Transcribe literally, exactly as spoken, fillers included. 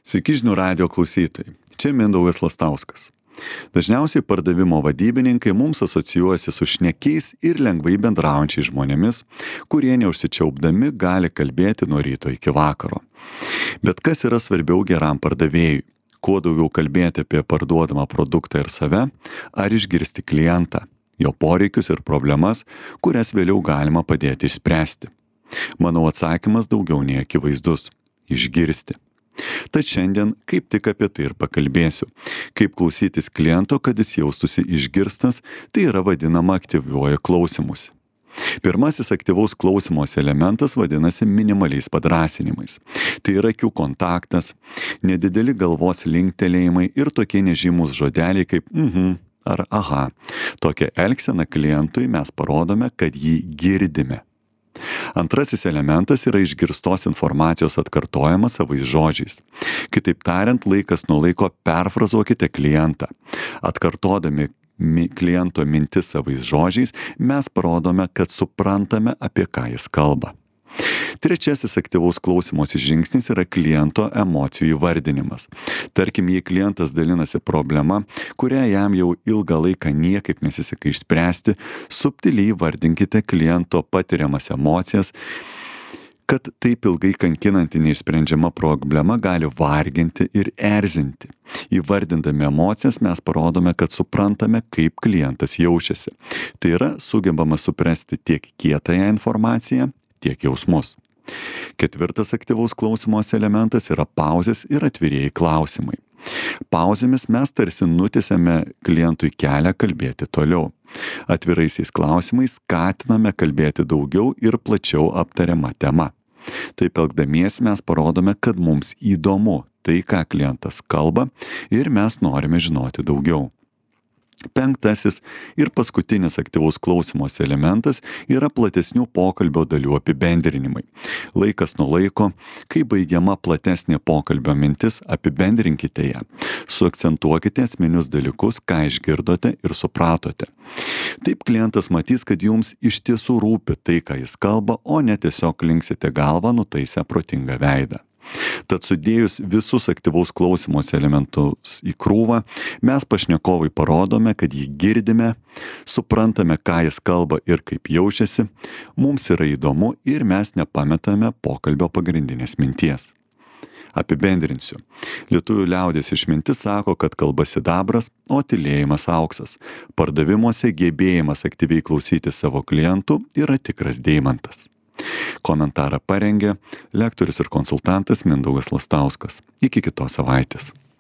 Sveiki žinių radijo klausytojai, čia Mindaugas Lastauskas. Dažniausiai pardavimo vadybininkai mums asocijuojasi su šnekiais ir lengvai bendraujančiais žmonėmis, kurie neužsičiaupdami gali kalbėti nuo ryto iki vakaro. Bet kas yra svarbiau geram pardavėjui? Kuo daugiau kalbėti apie parduodamą produktą ir save, ar išgirsti klientą, jo poreikius ir problemas, kurias vėliau galima padėti išspręsti? Manau, atsakymas daugiau nei akivaizdus – išgirsti. Tad šiandien kaip tik apie tai ir pakalbėsiu. Kaip klausytis kliento, kad jis jaustųsi išgirstas, tai yra vadinama aktyviuoju klausymusi. Pirmasis aktyvaus klausymosi elementas vadinasi minimaliais padrąsinimais. Tai yra akių kontaktas, nedideli galvos linktelėjimai ir tokie nežymus žodeliai kaip mhm ar aha. Tokią elgseną klientui mes parodome, kad jį girdime. Antrasis elementas yra išgirstos informacijos atkartojimas savais žodžiais. Kitaip tariant, laikas nuo laiko perfrazuokite klientą. Atkartodami kliento mintis savais žodžiais, mes parodome, kad suprantame, apie ką jis kalba. Trečiasis aktyvaus klausymosi žingsnis yra kliento emocijų įvardinimas. Tarkim, jei klientas dalinasi problema, kurią jam jau ilgą laiką niekaip nesiseka išspręsti, subtiliai įvardinkite kliento patiriamas emocijas, kad taip ilgai kankinanti neišsprendžiama problema gali varginti ir erzinti. Įvardindami emocijas mes parodome, kad suprantame, kaip klientas jaučiasi. Tai yra sugebama suprasti tiek kietąją informaciją, tiek jausmus. Ketvirtas aktyvaus klausymosi elementas yra pauzės ir atvirieji klausimai. Pauzėmis mes tarsi nutiesiame klientui kelią kalbėti toliau. Atviraisiais klausimais skatiname kalbėti daugiau ir plačiau aptariama tema. Taip elgdamiesi mes parodome, kad mums įdomu tai, ką klientas kalba ir mes norime žinoti daugiau. Penktasis ir paskutinis aktyvaus klausymosi elementas yra platesnių pokalbio dalių apibendrinimai. Laikas nuo laiko, kai baigiama platesnė pokalbio mintis, apibendrinkite ją. Suakcentuokite esminius dalykus, ką išgirdote ir supratote. Taip klientas matys, kad jums iš tiesų rūpi tai, ką jis kalba, o ne tiesiog linksite galvą nutaisę protingą veidą. Tad sudėjus visus aktyvaus klausymosi elementus į krūvą, mes pašnekovui parodome, kad jį girdime, suprantame, ką jis kalba ir kaip jaučiasi, mums yra įdomu ir mes nepametame pokalbio pagrindinės minties. Apibendrinsiu. Lietuvių liaudies išmintis sako, kad kalba sidabras, o tylėjimas auksas. Pardavimuose gebėjimas aktyviai klausyti savo klientų yra tikras deimantas. Komentarą parengė lektorius ir konsultantas Mindaugas Lastauskas. Iki kitos savaitės.